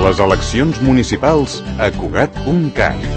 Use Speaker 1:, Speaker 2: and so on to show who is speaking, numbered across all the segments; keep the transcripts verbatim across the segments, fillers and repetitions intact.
Speaker 1: Les eleccions municipals a Cugat punt cat.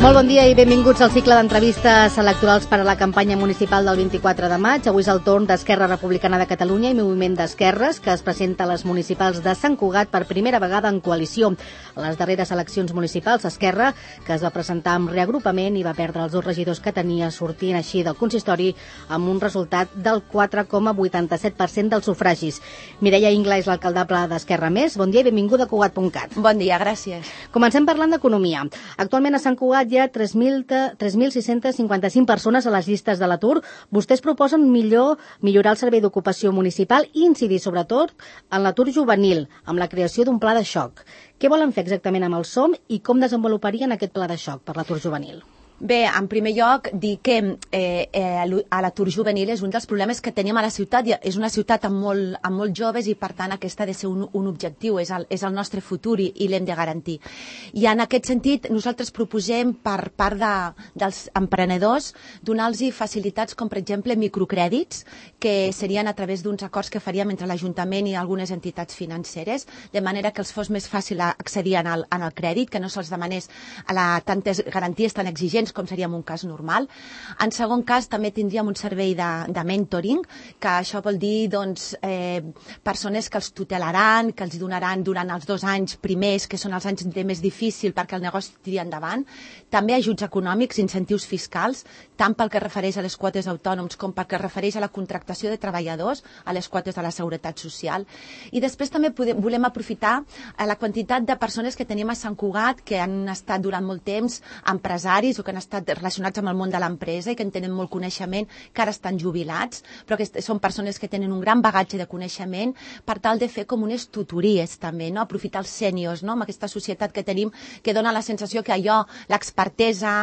Speaker 2: Molt bon dia i benvinguts al cicle d'entrevistes electorals per a la campanya municipal del vint-i-quatre de maig. Avui és el torn d'Esquerra Republicana de Catalunya i Moviment d'Esquerres, que es presenta a les municipals de Sant Cugat per primera vegada en coalició. A les darreres eleccions municipals, Esquerra, que es va presentar amb reagrupament i va perdre els dos regidors que tenia, sortint així del consistori amb un resultat del quatre coma vuitanta-set per cent dels sufragis. Mireia Ingla és l'alcaldable d'Esquerra Més. Bon dia i benvinguda a Cugat punt cat.
Speaker 3: Bon dia, gràcies.
Speaker 2: Comencem parlant d'economia. Actualment a Sant Cugat hi ha tres mil sis-cents cinquanta-cinc persones a les llistes de l'atur. Vostès proposen millor millorar el servei d'ocupació municipal i incidir sobretot en l'atur juvenil, amb la creació d'un pla de xoc. Què volen fer exactament amb el SOM i com desenvoluparien aquest pla de xoc per l'atur juvenil?
Speaker 3: Bé, en primer lloc, dir que eh, eh, l'atur juvenil és un dels problemes que tenim a la ciutat. És una ciutat amb molt, amb molt joves i, per tant, aquest ha de ser un, un objectiu, és el, és el nostre futur i, i l'hem de garantir. I en aquest sentit, nosaltres proposem per part de, dels emprenedors donar-los facilitats com, per exemple, microcrèdits, que serien a través d'uns acords que faríem entre l'Ajuntament i algunes entitats financeres, de manera que els fos més fàcil accedir en el, en el crèdit, que no se'ls demanés a la, tantes garanties tan exigents com seria en un cas normal. En segon cas, també tindríem un servei de, de mentoring, que això vol dir doncs, eh, persones que els tutelaran, que els donaran durant els dos anys primers, que són els anys de més difícil perquè el negoci tiri endavant. També ajuts econòmics, incentius fiscals, tant pel que refereix a les quotes d'autònoms com pel que refereix a la contractació de treballadors, a les quotes de la Seguretat Social. I després també podem, volem aprofitar la quantitat de persones que tenim a Sant Cugat, que han estat durant molt temps empresaris o que han estat relacionats amb el món de l'empresa i que en tenen molt coneixement, que ara estan jubilats, però que són persones que tenen un gran bagatge de coneixement per tal de fer com unes tutories també, no? Aprofitar els sèniors, no? Amb aquesta societat que tenim que dona la sensació que allò, l'expertesa,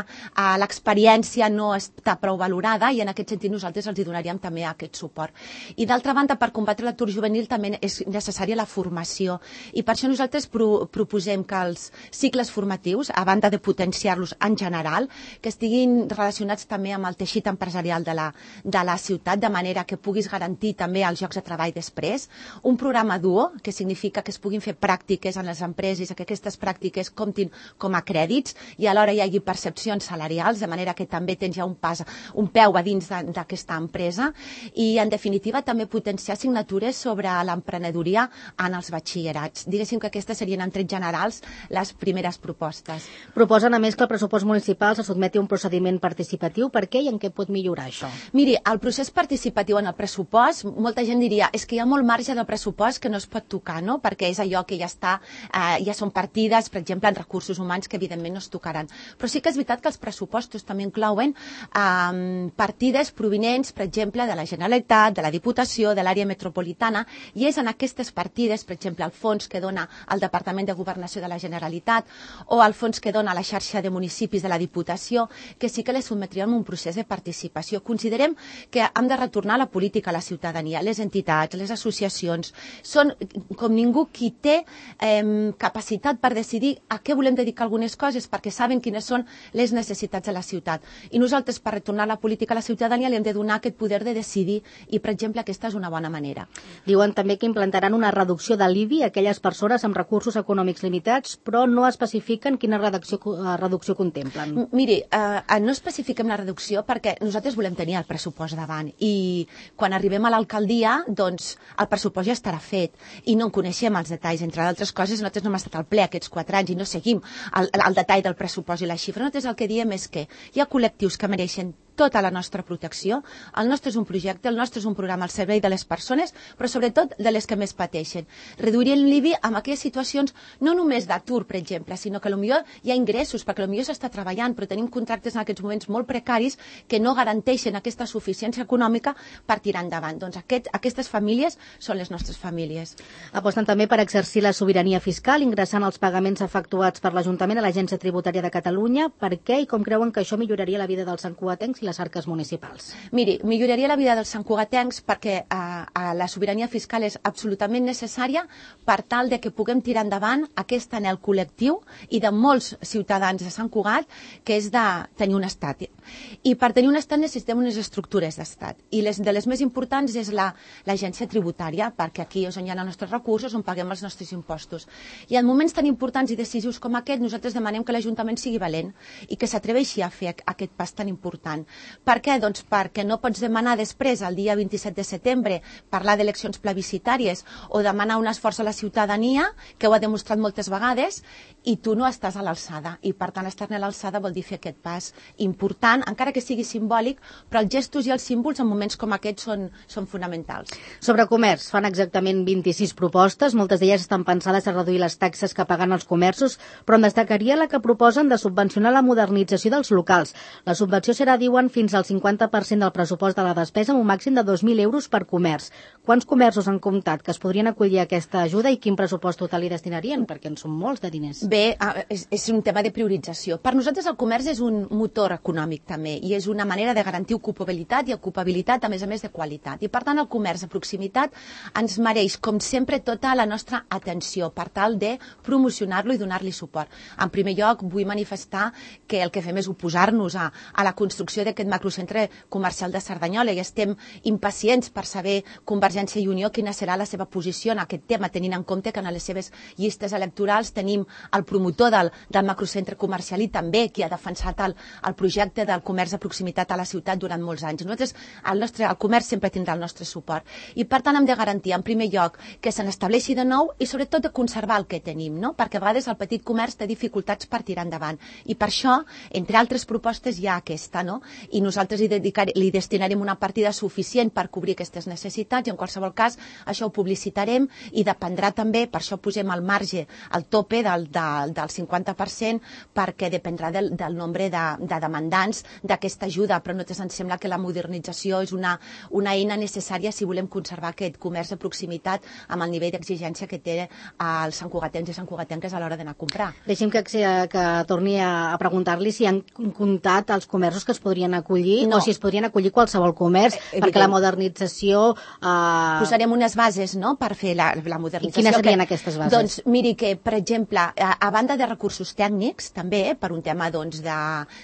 Speaker 3: l'experiència no està prou valorada i en aquest sentit nosaltres els hi donaríem també aquest suport. I d'altra banda, per combatre l'atur juvenil també és necessària la formació i per això nosaltres pro proposem que els cicles formatius, a banda de potenciar-los en general, que estiguin relacionats també amb el teixit empresarial de la, de la ciutat, de manera que puguis garantir també els llocs de treball després. Un programa duo, que significa que es puguin fer pràctiques en les empreses, que aquestes pràctiques comptin com a crèdits i alhora hi hagi percepcions salarials, de manera que també tens ja un pas, un peu a dins d'aquesta empresa. I, en definitiva, també potenciar assignatures sobre l'emprenedoria en els batxillerats. Diguéssim que aquestes serien, en trets generals, les primeres propostes.
Speaker 2: Proposen, a més, que el pressupost municipal se sotmeti a un procediment participatiu. Per què i en què pot millorar això?
Speaker 3: Miri, el procés participatiu en el pressupost, molta gent diria, és que hi ha molt marge del pressupost que no es pot tocar, no? Perquè és allò que ja està, eh, ja són partides, per exemple, en recursos humans que evidentment no es tocaran. Però sí que és veritat que els pressupostos també inclouen eh, partides provinents, per exemple, de la Generalitat, de la Diputació, de l'àrea metropolitana, i és en aquestes partides, per exemple, el fons que dona el Departament de Governació de la Generalitat o el fons que dona la xarxa de municipis de la Diputació, que sí que les sotmetríem a un procés de participació. Considerem que hem de retornar la política a la ciutadania, les entitats, les associacions. Són com ningú qui té eh, capacitat per decidir a què volem dedicar algunes coses, perquè saben quines són les necessitats de la ciutat. I nosaltres, per retornar la política a la ciutadania, li hem de donar aquest poder de decidir i, per exemple, aquesta és una bona manera.
Speaker 2: Diuen també que implantaran una reducció de l'I B I a aquelles persones amb recursos econòmics limitats, però no especifiquen quina reducció, reducció contemplen.
Speaker 3: Miri, eh, no especifiquem la reducció perquè nosaltres volem tenir el pressupost davant i quan arribem a l'alcaldia, doncs el pressupost ja estarà fet i no en coneixem els detalls. Entre d'altres coses, nosaltres no hem estat al ple aquests quatre anys i no seguim el, el detall del pressupost i la xifra. Nosaltres el que diem és que hi ha col·lectius que mereixen tota la nostra protecció. El nostre és un projecte, el nostre és un programa al servei de les persones, però sobretot de les que més pateixen. Reduirem l'I B I en aquelles situacions no només d'atur, per exemple, sinó que potser hi ha ingressos, perquè potser s'està treballant, però tenim contractes en aquests moments molt precaris que no garanteixen aquesta suficiència econòmica per tirar endavant. Doncs aquest, aquestes famílies són les nostres famílies.
Speaker 2: Aposten també per exercir la sobirania fiscal, ingressant els pagaments efectuats per l'Ajuntament a l'Agència Tributària de Catalunya. Per què i com creuen que això milloraria la vida dels santcugatencs i les arques municipals?
Speaker 3: Miri, milloraria la vida dels santcugatencs perquè a, a la sobirania fiscal és absolutament necessària per tal de que puguem tirar endavant aquest anhel col·lectiu i de molts ciutadans de Sant Cugat, que és de tenir un estat. I per tenir un estat necessitem unes estructures d'estat. I les, de les més importants és l'agència la, tributària, perquè aquí és on hi ha els nostres recursos, on paguem els nostres impostos. I en moments tan importants i decisius com aquest, nosaltres demanem que l'Ajuntament sigui valent i que s'atreveixi a fer aquest pas tan important. Per què? Doncs perquè no pots demanar després, el dia vint-i-set de setembre, parlar d'eleccions plebiscitàries o demanar un esforç a la ciutadania, que ho ha demostrat moltes vegades, i tu no estàs a l'alçada. I per tant, estar a l'alçada vol dir fer aquest pas important, encara que sigui simbòlic, però els gestos i els símbols en moments com aquests són, són fonamentals.
Speaker 2: Sobre comerç, fan exactament vint-i-sis propostes, moltes d'elles estan pensades a reduir les taxes que paguen els comerços, però en destacaria la que proposen de subvencionar la modernització dels locals. La subvenció serà, diuen, fins al cinquanta per cent del pressupost de la despesa amb un màxim de dos mil euros per comerç. Quants comerços han comptat que es podrien acollir a aquesta ajuda i quin pressupost total hi destinarien? Perquè en són molts de diners.
Speaker 3: Bé, és, és un tema de priorització. Per nosaltres el comerç és un motor econòmic també i és una manera de garantir ocupabilitat i ocupabilitat a més a més de qualitat. I per tant el comerç de proximitat ens mereix, com sempre, tota la nostra atenció per tal de promocionar-lo i donar-li suport. En primer lloc, vull manifestar que el que fem és oposar-nos a, a la construcció d'aquest macrocentre comercial de Cerdanyola i estem impacients per saber Convergència i Unió quina serà la seva posició en aquest tema, tenint en compte que en les seves llistes electorals tenim el promotor del, del macrocentre comercial i també qui ha defensat el, el projecte del comerç de proximitat a la ciutat durant molts anys. Nosaltres, el, nostre, el comerç sempre tindrà el nostre suport i per tant hem de garantir en primer lloc que se n'estableixi de nou i sobretot de conservar el que tenim, no? Perquè a vegades el petit comerç té dificultats per tirar endavant i per això, entre altres propostes, hi ha aquesta, no? I nosaltres hi, dedicar, li destinarem una partida suficient per cobrir aquestes necessitats i en qualsevol cas això ho publicitarem i dependrà també, per això posem al marge, el tope del, del, del cinquanta per cent perquè dependrà del, del nombre de, de demandants d'aquesta ajuda, però nosaltres ens sembla que la modernització és una, una eina necessària si volem conservar aquest comerç de proximitat amb el nivell d'exigència que té els santcugatencs i santcugatenques a l'hora d'anar a comprar.
Speaker 2: Deixi'm que, que torni a preguntar-li si han comptat els comerços que es podrien acollir
Speaker 3: no.
Speaker 2: o si es podrien acollir qualsevol comerç, eh, perquè la modernització...
Speaker 3: Eh... Posarem unes bases, no?, per fer la, la modernització.
Speaker 2: I quines serien
Speaker 3: que,
Speaker 2: aquestes bases?
Speaker 3: Doncs miri que, per exemple, a, a banda de recursos tècnics, també, per un tema doncs, de,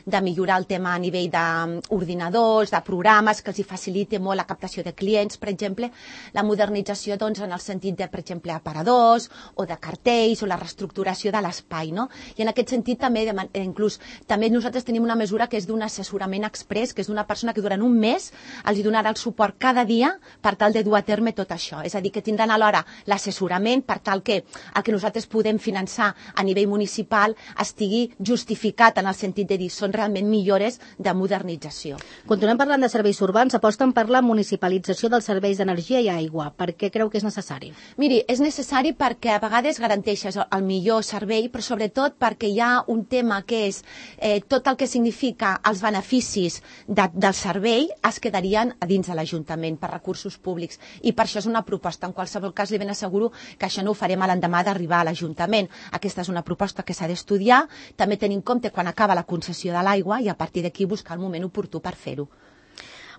Speaker 3: de millorar el tema a nivell d'ordinadors, de programes, que els hi faciliti molt la captació de clients, per exemple, la modernització doncs, en el sentit de, per exemple, aparadors o de cartells o la reestructuració de l'espai, no? I en aquest sentit també, de, inclús, també nosaltres tenim una mesura que és d'un assessorament express, que és d'una persona que durant un mes els donarà el suport cada dia per tal de dur a terme tot això. És a dir, que tindran alhora l'assessorament per tal que el que nosaltres podem finançar a nivell municipal estigui justificat en el sentit de dir són realment millores de modernització.
Speaker 2: Continuem parlant de serveis urbans, aposten per la municipalització dels serveis d'energia i aigua. Per què creu que és necessari?
Speaker 3: Miri, és necessari perquè a vegades garanteixes el millor servei, però sobretot perquè hi ha un tema que és eh, tot el que significa els beneficis de, del servei es quedarien a dins de l'Ajuntament per recursos públics i per això és una proposta. En qualsevol cas li ben asseguro que això no ho farem a l'endemà d'arribar a l'Ajuntament. Aquesta és una proposta que s'ha d'estudiar, també tenir en compte quan acaba la concessió de l'aigua i a partir d'aquí buscar el moment oportú per fer-ho.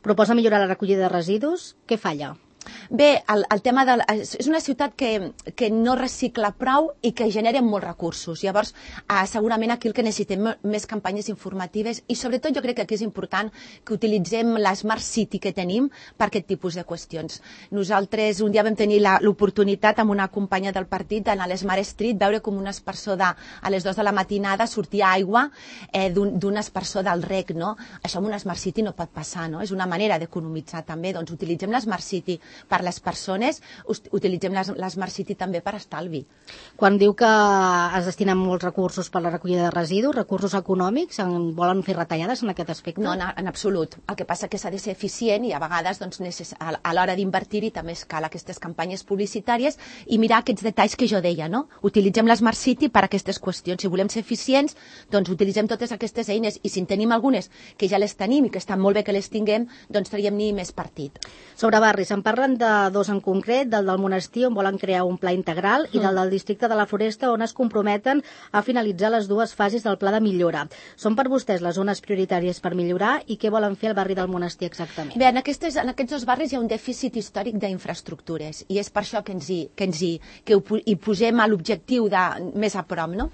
Speaker 2: Proposa millorar la recollida de residus. Què falla?
Speaker 3: Bé, el, el tema de... És una ciutat que, que no recicla prou i que genera molts recursos. Llavors, eh, segurament aquí el que necessitem més campanyes informatives i sobretot jo crec que aquí és important que utilitzem l'Smart City que tenim per aquest tipus de qüestions. Nosaltres un dia vam tenir l'oportunitat amb una companya del partit d'anar a l'Smart Street, veure com un espersor de, a les dues de la matinada sortia aigua eh, d'un espersor del rec, no? Això amb una Smart City no pot passar, no? És una manera d'economitzar també. Doncs utilitzem l'Smart City per les persones, utilitzem l'Smart City també per estalvi.
Speaker 2: Quan diu que es destinen molts recursos per la recollida de residus, recursos econòmics, en volen fer retallades en aquest aspecte?
Speaker 3: No, en, en absolut. El que passa que s'ha de ser eficient i a vegades doncs, necess... a l'hora d'invertir-hi també es cal aquestes campanyes publicitàries i mirar aquests detalls que jo deia, no? Utilitzem l'Smart City per a aquestes qüestions. Si volem ser eficients, doncs utilitzem totes aquestes eines i si en tenim algunes que ja les tenim i que estan molt bé que les tinguem, doncs traiem-n'hi més partit.
Speaker 2: Sobre barris, en parla parlen de dos en concret, del del Monestir, on volen crear un pla integral, i del del districte de la Floresta, on es comprometen a finalitzar les dues fases del pla de millora. Són per vostès les zones prioritàries per millorar i què volen fer al barri del Monestir exactament?
Speaker 3: Bé, en, aquestes, en aquests dos barris hi ha un dèficit històric d'infraestructures i és per això que ens hi, que ens hi, que hi posem a l'objectiu de més a prop, no?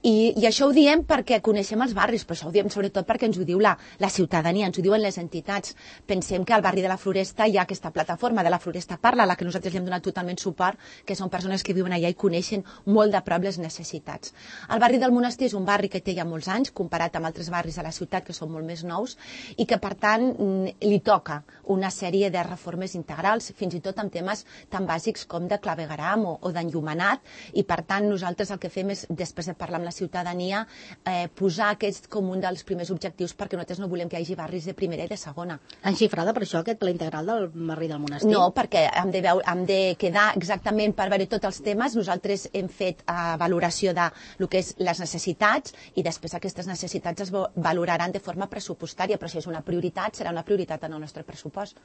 Speaker 3: I, I això ho diem perquè coneixem els barris, però això ho diem sobretot perquè ens ho diu la, la ciutadania, ens ho diuen les entitats. Pensem que al barri de la Floresta hi ha aquesta plataforma de la Floresta Parla, a la que nosaltres li hem donat totalment suport, que són persones que viuen allà i coneixen molt de prop les necessitats. El barri del Monestir és un barri que té ja molts anys, comparat amb altres barris de la ciutat que són molt més nous, i que per tant li toca una sèrie de reformes integrals, fins i tot amb temes tan bàsics com de clavegueram o, o d'enllumenat, i per tant nosaltres el que fem és, després de parlar amb la ciutadania, eh, posar aquest com un dels primers objectius, perquè nosaltres no volem que hi hagi barris de primera i de segona.
Speaker 2: Han xifrada per això aquest pla integral del barri del Monestir?
Speaker 3: No, perquè hem de, veure, hem de quedar exactament per veure tots els temes. Nosaltres hem fet eh, valoració de lo que és les necessitats i després aquestes necessitats es valoraran de forma pressupostària, però si és una prioritat, serà una prioritat en el nostre pressupost.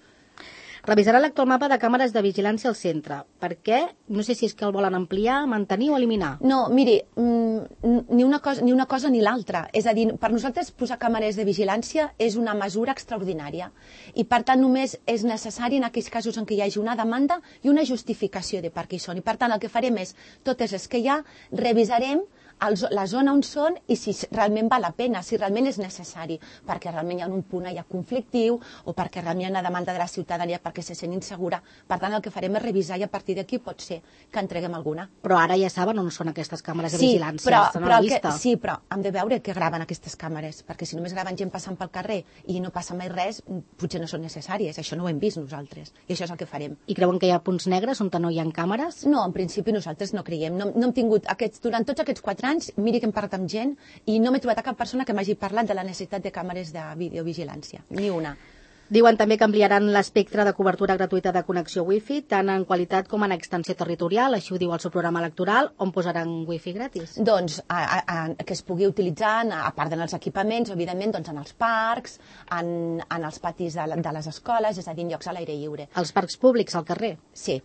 Speaker 2: Revisarà l'actual mapa de càmeres de vigilància al centre. Per què? No sé si és que el volen ampliar, mantenir o eliminar.
Speaker 3: No, miri, ni una cosa ni una cosa ni l'altra. És a dir, per nosaltres posar càmeres de vigilància és una mesura extraordinària i per tant només és necessari en aquells casos en què hi hagi una demanda i una justificació de per què hi són. I per tant el que farem és, totes les que hi ha, revisarem la zona on són i si realment val la pena, si realment és necessari, perquè realment hi ha un punt allà conflictiu o perquè realment hi ha una demanda de la ciutadania perquè se sent insegura. Per tant, el que farem és revisar i a partir d'aquí pot ser que entreguem alguna.
Speaker 2: Però ara ja saben on són aquestes càmeres de
Speaker 3: sí,
Speaker 2: vigilància.
Speaker 3: Però,
Speaker 2: estan
Speaker 3: però
Speaker 2: a la vista.
Speaker 3: Que, sí, però hem de veure què graven aquestes càmeres, perquè si només graven gent passant pel carrer i no passa mai res, potser no són necessàries. Això no ho hem vist nosaltres i això és el que farem.
Speaker 2: I creuen que hi ha punts negres on no hi ha càmeres?
Speaker 3: No, en principi nosaltres no creiem. No, no hem tingut aquests, durant tots aquests quatre anys, miri que hem parlat amb gent i no m'he trobat a cap persona que m'hagi parlat de la necessitat de càmeres de videovigilància, ni una.
Speaker 2: Diuen també que ampliaran l'espectre de cobertura gratuïta de connexió wifi, tant en qualitat com en extensió territorial, així ho diu el seu programa electoral, on posaran wifi gratis.
Speaker 3: Doncs a, a, a, que es pugui utilitzar, a part dels equipaments, evidentment, doncs en els parcs, en, en els patis de, de les escoles, és a dir, en llocs a l'aire lliure.
Speaker 2: Els parcs públics, al carrer?
Speaker 3: Sí.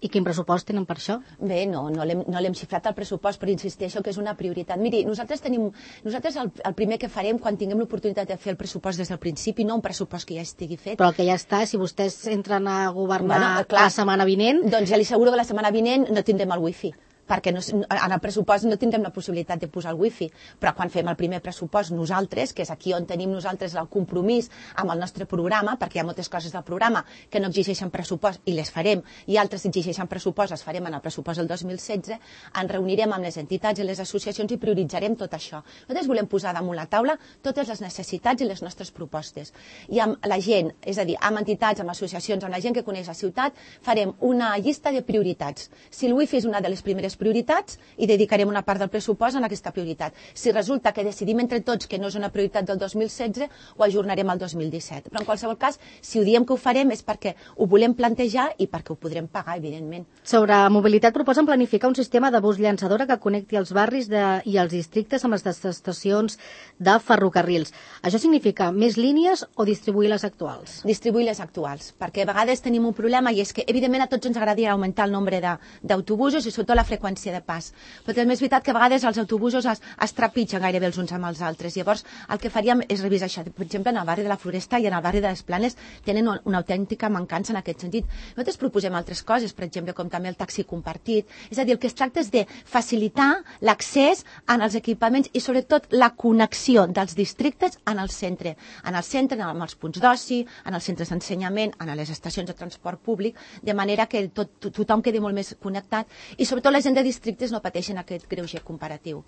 Speaker 2: I quin pressupost tenen per això?
Speaker 3: Bé, no, no l'hem no l'hem xifrat el pressupost, però insisteixo que és una prioritat. Miri, nosaltres tenim, nosaltres el, el primer que farem quan tinguem l'oportunitat de fer el pressupost des del principi, no un pressupost que ja estigui fet.
Speaker 2: Però el que ja està, si vostès entren a governar
Speaker 3: bueno, clar,
Speaker 2: la setmana vinent...
Speaker 3: Doncs ja li asseguro que la setmana vinent no tindrem el wifi, perquè no, en el pressupost no tindrem la possibilitat de posar el wifi, però quan fem el primer pressupost nosaltres, que és aquí on tenim nosaltres el compromís amb el nostre programa, perquè hi ha moltes coses del programa que no exigeixen pressupost i les farem, i altres exigeixen pressupost, les farem en el pressupost del dos mil setze, ens reunirem amb les entitats i les associacions i prioritzarem tot això. Nosaltres volem posar damunt la taula totes les necessitats i les nostres propostes. I amb la gent, és a dir, amb entitats, amb associacions, amb la gent que coneix la ciutat, farem una llista de prioritats. Si el wifi és una de les primeres prioritats i dedicarem una part del pressupost en aquesta prioritat. Si resulta que decidim entre tots que no és una prioritat del dos mil setze, ho ajornarem al dos mil disset. Però en qualsevol cas, si ho diem que ho farem és perquè ho volem plantejar i perquè ho podrem pagar, evidentment.
Speaker 2: Sobre mobilitat proposen planificar un sistema de bus llançadora que connecti els barris de, i els districtes amb les estacions de ferrocarrils. Això significa més línies o distribuir les actuals?
Speaker 3: Distribuir les actuals, perquè a vegades tenim un problema i és que, evidentment, a tots ens agradaria augmentar el nombre d'autobusos i sobretot la freqüència de pas. Però també és veritat que a vegades els autobusos es, es trepitgen gairebé els uns amb els altres. Llavors, el que faríem és revisar això. Per exemple, en el barri de la Floresta i en el barri de les Planes tenen una autèntica mancança en aquest sentit. Nosaltres proposem altres coses, per exemple, com també el taxi compartit. És a dir, el que es tracta és de facilitar l'accés en els equipaments i sobretot la connexió dels districtes en el centre. En el centre, en els punts d'oci, en els centres d'ensenyament, en les estacions de transport públic, de manera que tot, tothom quedi molt més connectat i sobretot la gent de districtes no pateixen aquest greuge comparatiu.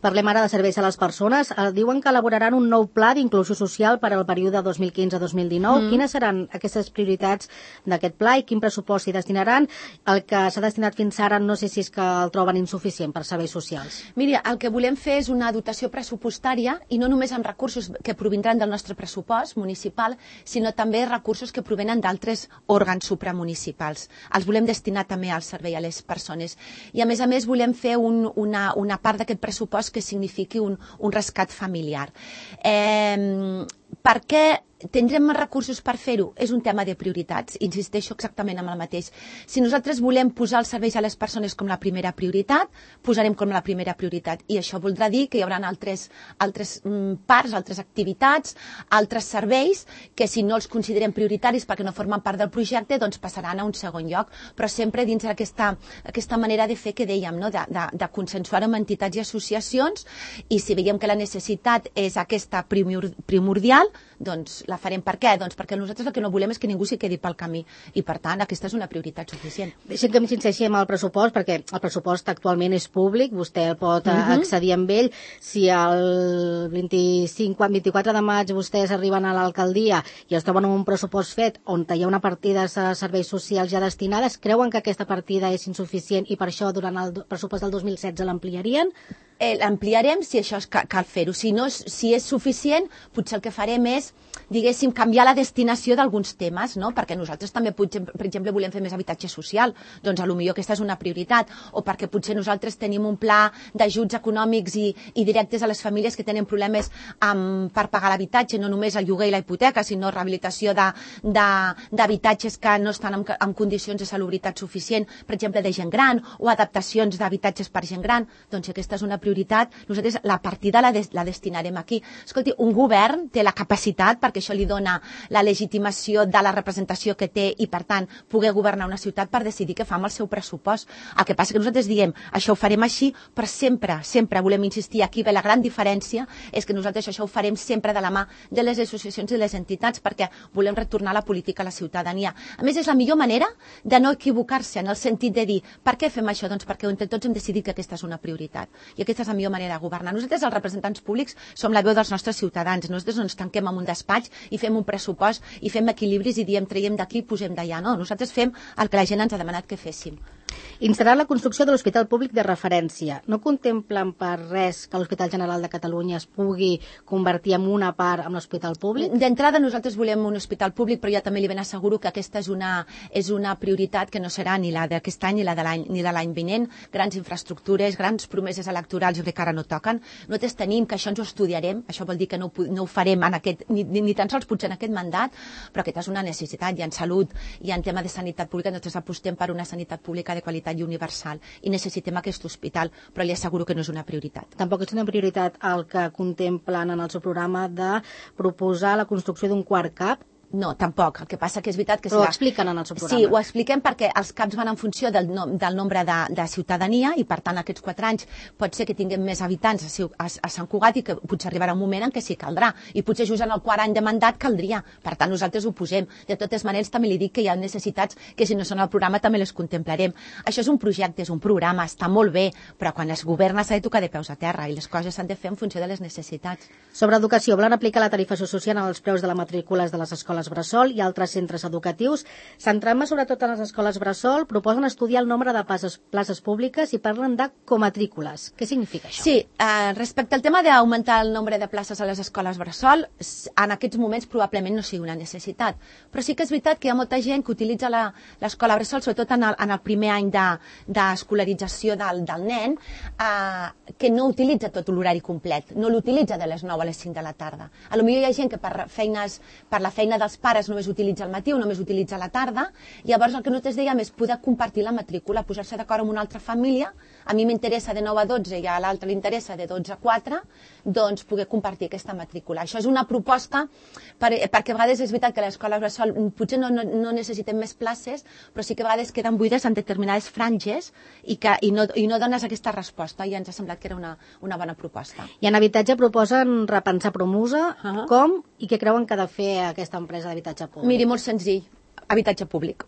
Speaker 2: Parlem ara de serveis a les persones. Diuen que elaboraran un nou pla d'inclusió social per al període dos mil quinze a dos mil dinou. Mm. Quines seran aquestes prioritats d'aquest pla i quin pressupost s'hi destinaran? El que s'ha destinat fins ara no sé si és que el troben insuficient per serveis socials.
Speaker 3: Miri, el que volem fer és una dotació pressupostària i no només amb recursos que provindran del nostre pressupost municipal, sinó també recursos que provenen d'altres òrgans supramunicipals. Els volem destinar també al servei a les persones. I a més a més volem fer un, una, una part d'aquest pressupost que signifiqui un, un rescat familiar. Eh, per què tindrem més recursos per fer-ho? És un tema de prioritats. Insisteixo exactament amb el mateix. Si nosaltres volem posar els serveis a les persones com la primera prioritat, posarem com la primera prioritat. I això voldrà dir que hi haurà altres, altres mm, parts, altres activitats, altres serveis, que si no els considerem prioritaris perquè no formen part del projecte, doncs passaran a un segon lloc. Però sempre dins d'aquesta aquesta manera de fer que dèiem, no? de, de, de consensuar amb entitats i associacions, i si veiem que la necessitat és aquesta primordial, doncs la farem. Per què? Doncs perquè nosaltres el que no volem és que ningú s'hi quedi pel camí i, per tant, aquesta és una prioritat suficient.
Speaker 2: Deixem que m'insisteixi amb el pressupost, perquè el pressupost actualment és públic, vostè el pot uh-huh. accedir amb ell. Si el vint-i-cinc, vint-i-quatre de maig vostès arriben a l'alcaldia i es troben un pressupost fet on hi ha una partida de serveis socials ja destinades, creuen que aquesta partida és insuficient i per això durant el pressupost del dos mil setze l'ampliarien?
Speaker 3: Eh, l'ampliarem si això és, cal, cal fer-ho. Si, no, si és suficient, potser el que farem és, diguéssim, canviar la destinació d'alguns temes, no? Perquè nosaltres també, potser, per exemple, volem fer més habitatge social, doncs potser aquesta és una prioritat, o perquè potser nosaltres tenim un pla d'ajuts econòmics i, i directes a les famílies que tenen problemes amb, per pagar l'habitatge, no només el lloguer i la hipoteca, sinó rehabilitació d'habitatges que no estan en, en condicions de salubritat suficient, per exemple, de gent gran, o adaptacions d'habitatges per gent gran. Doncs aquesta és una prioritat, nosaltres la partida la, des, la destinarem aquí. Escolti, un govern té la capacitat, perquè això li dona la legitimació de la representació que té i, per tant, poder governar una ciutat per decidir què fa amb el seu pressupost. El que passa que nosaltres diem, això ho farem així, però sempre, sempre volem insistir, aquí ve la gran diferència, és que nosaltres això ho farem sempre de la mà de les associacions i les entitats, perquè volem retornar la política a la ciutadania. A més, és la millor manera de no equivocar-se, en el sentit de dir, per què fem això? Doncs perquè entre tots hem decidit que aquesta és una prioritat. I aquesta és la millor manera de governar. Nosaltres, els representants públics, som la veu dels nostres ciutadans. Nosaltres no ens tanquem en un despatx i fem un pressupost i fem equilibris i diem traiem d'aquí i posem d'allà. No, nosaltres fem el que la gent ens ha demanat que féssim.
Speaker 2: Instal·lar la construcció de l'Hospital Públic de referència. No contemplen per res que l'Hospital General de Catalunya es pugui convertir en una part amb l'Hospital Públic?
Speaker 3: D'entrada nosaltres volem un hospital públic, però jo també li ben asseguro que aquesta és una, és una prioritat que no serà ni la d'aquest any ni la de l'any ni de l'any vinent. Grans infraestructures, grans promeses electorals, jo crec que ara no toquen. Nosaltres tenim que això ens ho estudiarem, això vol dir que no, no ho farem en aquest, ni, ni tan sols potser en aquest mandat, però aquesta és una necessitat. I en salut i en tema de sanitat pública nosaltres apostem per una sanitat pública de qualitat i universal i necessitem aquest hospital, però li asseguro que no és una prioritat.
Speaker 2: Tampoc és una prioritat el que contemplen en el seu programa de proposar la construcció d'un quart cap?
Speaker 3: No, tampoc. El que passa que és veritat que...
Speaker 2: Però ho expliquen en el seu programa.
Speaker 3: Sí, ho expliquem perquè els caps van en funció del, nom, del nombre de, de ciutadania i, per tant, aquests quatre anys pot ser que tinguem més habitants a, a, a Sant Cugat i que potser arribarà un moment en què sí caldrà. I potser just en el quart any de mandat caldria. Per tant, nosaltres ho posem. De totes maneres, també li dic que hi ha necessitats que, si no són al programa, també les contemplarem. Això és un projecte, és un programa, està molt bé, però quan es governa s'ha de tocar de peus a terra i les coses s'han de fer en funció de les necessitats.
Speaker 2: Sobre educació, volen aplicar la tarifa social en els preus de les matrícules de les escoles bressol i altres centres educatius. Centrant-me sobretot en les escoles bressol, proposen estudiar el nombre de places, places públiques i parlen de comatrícules. Què significa això?
Speaker 3: Sí, eh, respecte al tema d'augmentar el nombre de places a les escoles bressol, en aquests moments probablement no sigui una necessitat. Però sí que és veritat que hi ha molta gent que utilitza l'escola bressol, sobretot en el, en el primer any d'escolarització de, del, del nen, eh, que no utilitza tot l'horari complet, no l'utilitza de les nou a les cinc de la tarda. A lo millor hi ha gent que per, feines, per la feina dels pares només utilitza el matí o només utilitza la tarda, llavors el que nosaltres dèiem és poder compartir la matrícula, posar-se d'acord amb una altra família, a mi m'interessa de nou a dotze i a l'altre li interessa de dotze a quatre, doncs poder compartir aquesta matrícula. Això és una proposta, per, perquè a vegades és veritat que a l'escola bressol potser no, no, no necessitem més places, però sí que a vegades queden buides en determinades franges i, que, i, no, i no dones aquesta resposta, i ens ha semblat que era una, una bona proposta.
Speaker 2: I en habitatge proposen repensar Promusa, uh -huh. com i què creuen que ha de fer aquesta empresa d'habitatge públic?
Speaker 3: Miri, molt senzill, habitatge públic.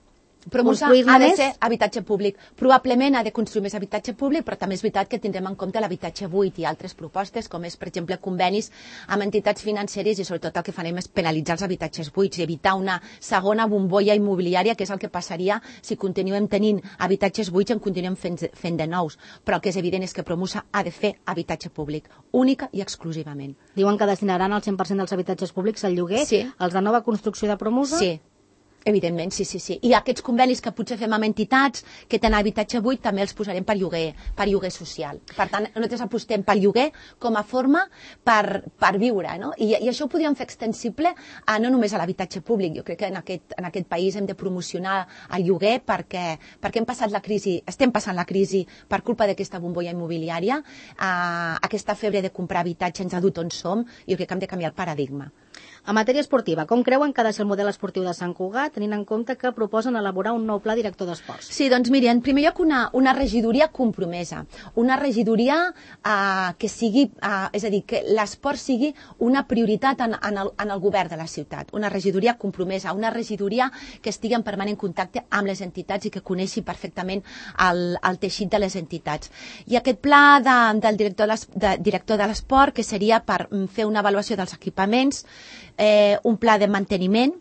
Speaker 3: Promusa ha de ser habitatge públic. Probablement ha de construir més habitatge públic, però també és veritat que tindrem en compte l'habitatge buit i altres propostes, com és, per exemple, convenis amb entitats financeres, i sobretot el que farem és penalitzar els habitatges buits i evitar una segona bombolla immobiliària, que és el que passaria si continuem tenint habitatges buits i en continuem fent, fent de nous. Però el que és evident és que Promusa ha de fer habitatge públic, única i exclusivament.
Speaker 2: Diuen que destinaran el cent per cent dels habitatges públics al lloguer,
Speaker 3: sí.
Speaker 2: Els de nova construcció de Promusa?
Speaker 3: Sí. Evidentment, sí, sí, sí. I aquests convenis que potser fem amb entitats que tenen habitatge buit també els posarem per lloguer, per lloguer social. Per tant, nosaltres apostem per lloguer com a forma per, per viure, no? I, I això ho podríem fer extensible a, no només a l'habitatge públic. Jo crec que en aquest, en aquest país hem de promocionar el lloguer perquè, perquè hem passat la crisi, estem passant la crisi per culpa d'aquesta bombolla immobiliària. Uh, aquesta febre de comprar habitatge ens ha dut on som i jo crec que hem de canviar el paradigma.
Speaker 2: En matèria esportiva, com creuen que ha de ser el model esportiu de Sant Cugat, tenint en compte que proposen elaborar un nou pla director d'esports?
Speaker 3: Sí, doncs miri, en primer lloc una, una regidoria compromesa, una regidoria eh, que sigui, eh, és a dir, que l'esport sigui una prioritat en, en, el, en el govern de la ciutat, una regidoria compromesa, una regidoria que estigui en permanent contacte amb les entitats i que coneixi perfectament el, el teixit de les entitats. I aquest pla de, del director de, director de l'esport, que seria per fer una avaluació dels equipaments, Eh, un pla de manteniment,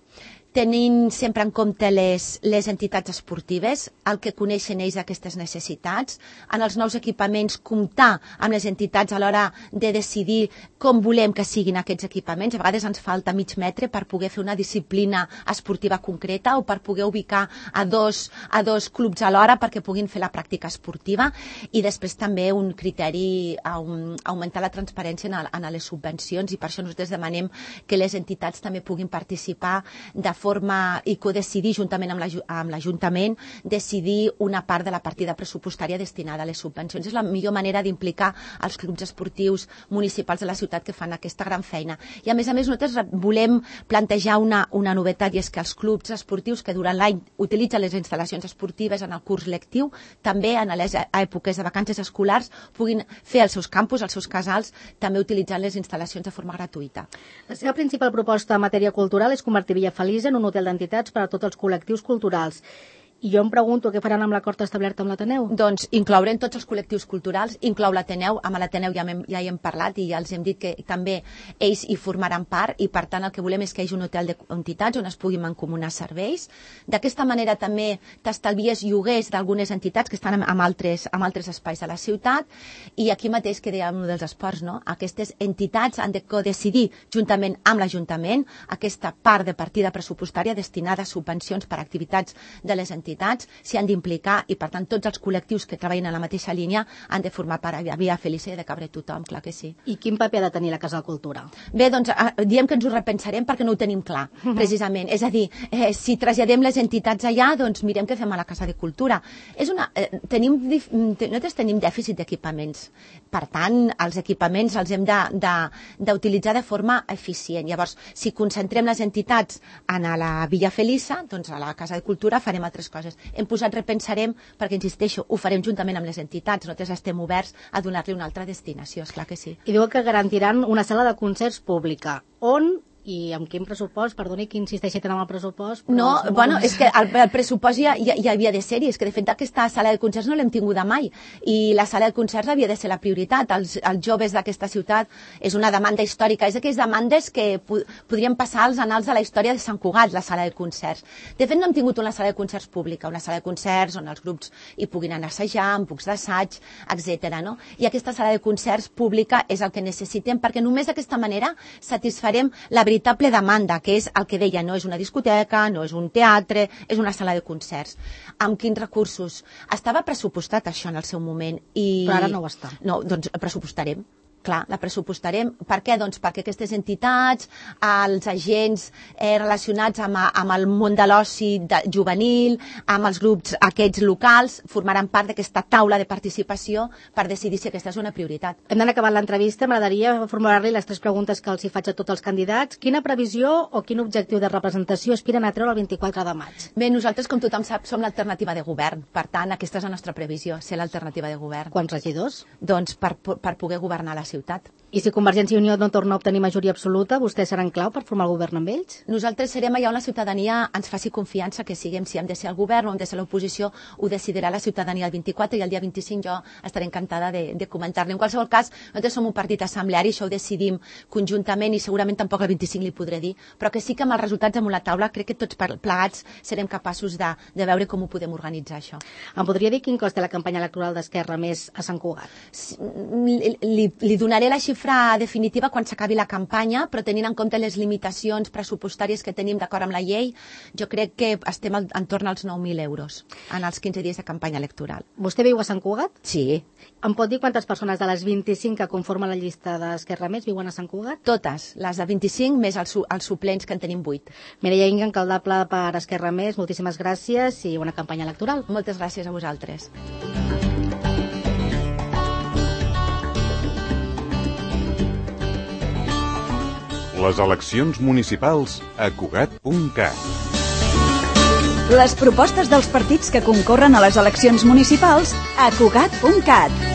Speaker 3: tenint sempre en compte les, les entitats esportives, el que coneixen ells aquestes necessitats, en els nous equipaments comptar amb les entitats a l'hora de decidir com volem que siguin aquests equipaments. A vegades ens falta mig metre per poder fer una disciplina esportiva concreta o per poder ubicar a dos, a dos clubs alhora perquè puguin fer la pràctica esportiva, i després també un criteri, un, augmentar la transparència en, el, en les subvencions, i per això nosaltres demanem que les entitats també puguin participar de forma i codecidir juntament amb l'Ajuntament, decidir una part de la partida pressupostària destinada a les subvencions. És la millor manera d'implicar els clubs esportius municipals de la ciutat que fan aquesta gran feina. I a més a més nosaltres volem plantejar una, una novetat, i és que els clubs esportius que durant l'any utilitzen les instal·lacions esportives en el curs lectiu, també en les èpoques de vacances escolars puguin fer els seus campus, els seus casals, també utilitzant les instal·lacions de forma gratuïta.
Speaker 2: La seva principal proposta en matèria cultural és convertir Villafeliç en un hotel d'entitats per a tots els col·lectius culturals. I jo em pregunto què faran amb l'acord establert amb l'Ateneu?
Speaker 3: Doncs inclourem tots els col·lectius culturals, inclou l'Ateneu, amb l'Ateneu ja, ja hi hem parlat i ja els hem dit que també ells hi formaran part, i per tant el que volem és que hi hagi un hotel d'entitats on es puguin mancomunar serveis. D'aquesta manera també t'estalvies lloguers d'algunes entitats que estan en altres, en altres espais de la ciutat, i aquí mateix que dèiem dels esports, no? Aquestes entitats han de decidir juntament amb l'Ajuntament aquesta part de partida pressupostària destinada a subvencions per a activitats de les entitats, s'hi han d'implicar, i per tant tots els col·lectius que treballen en la mateixa línia han de formar part. A Via Felice de cabre tothom, clar que sí.
Speaker 2: I quin paper ha de tenir la Casa de Cultura?
Speaker 3: Bé, doncs diem que ens ho repensarem perquè no ho tenim clar, precisament. És a dir, eh, si traslladem les entitats allà, doncs mirem què fem a la Casa de Cultura. És una, eh, tenim, nosaltres tenim dèficit d'equipaments, per tant els equipaments els hem d'utilitzar de, de forma eficient. Llavors, si concentrem les entitats en la Via Felice, doncs a la Casa de Cultura farem altres coses. Hem posat repensarem perquè, insisteixo, ho farem juntament amb les entitats. Nosaltres estem oberts a donar-li una altra destinació, esclar que sí.
Speaker 2: I diu que garantiran una sala de concerts pública. On i amb quin pressupost? Perdoni que insisteixi tant amb el pressupost.
Speaker 3: No, bueno, és que el, el pressupost ja, ja, ja havia de ser-hi, és que de fet aquesta sala de concerts no l'hem tinguda mai, i la sala de concerts havia de ser la prioritat. Els, els joves d'aquesta ciutat és una demanda històrica, és d'aquelles demandes que po podrien passar als anals de la història de Sant Cugat, la sala de concerts. De fet no hem tingut una sala de concerts pública, una sala de concerts on els grups hi puguin anar a assajar, amb pucs d'assaig, etcètera. No? I aquesta sala de concerts pública és el que necessitem, perquè només d'aquesta manera satisfarem la veritable demanda, que és el que deia, no és una discoteca, no és un teatre, és una sala de concerts. Amb quins recursos? Estava pressupostat això en el seu moment. I...
Speaker 2: Però ara no ho està.
Speaker 3: No, doncs pressupostarem. Clar, la pressupostarem. Per què? Doncs perquè aquestes entitats, els agents eh, relacionats amb, amb el món de l'oci juvenil, amb els grups aquests locals, formaran part d'aquesta taula de participació per decidir si aquesta és una prioritat.
Speaker 2: Hem d'anar acabant l'entrevista. M'agradaria formular-li les tres preguntes que els hi faig a tots els candidats. Quina previsió o quin objectiu de representació aspiren a treure el vint-i-quatre de maig?
Speaker 3: Bé, nosaltres, com tothom sap, som l'alternativa de govern. Per tant, aquesta és la nostra previsió, ser l'alternativa de govern.
Speaker 2: Quants regidors?
Speaker 3: Doncs per, per poder governar la ciutat.
Speaker 2: I si Convergència i Unió no torna a obtenir majoria absoluta, vostès seran clau per formar el govern amb ells?
Speaker 3: Nosaltres serem allà on la ciutadania ens faci confiança que siguem, si hem de ser el govern o hem de ser l'oposició, ho decidirà la ciutadania el vint-i-quatre, i el dia vint-i-cinc jo estaré encantada de, de comentar-li. En qualsevol cas, nosaltres som un partit assembleari, això ho decidim conjuntament, i segurament tampoc el vint-i-cinc li podré dir, però que sí que amb els resultats damunt la taula crec que tots plegats serem capaços de, de veure com ho podem organitzar, això.
Speaker 2: Em podria dir quin cost té la campanya electoral d'Esquerra més a Sant Cugat?
Speaker 3: Li, li, li donaré la xifra xifra definitiva quan s'acabi la campanya, però tenint en compte les limitacions pressupostàries que tenim d'acord amb la llei, jo crec que estem al, entorn als nou mil euros en els quinze dies de campanya electoral.
Speaker 2: Vostè viu a Sant Cugat?
Speaker 3: Sí.
Speaker 2: Em pot dir quantes persones de les vint-i-cinc que conformen la llista d'Esquerra Més viuen a Sant Cugat?
Speaker 3: Totes, les de vint-i-cinc més els, els suplents que en tenim vuit.
Speaker 2: Mireia Inga, alcaldable per Esquerra Més, moltíssimes gràcies i bona campanya electoral.
Speaker 3: Moltes gràcies a vosaltres.
Speaker 1: Les eleccions municipals a Cugat punt cat.
Speaker 4: Les propostes dels partits que concorren a les eleccions municipals a Cugat punt cat.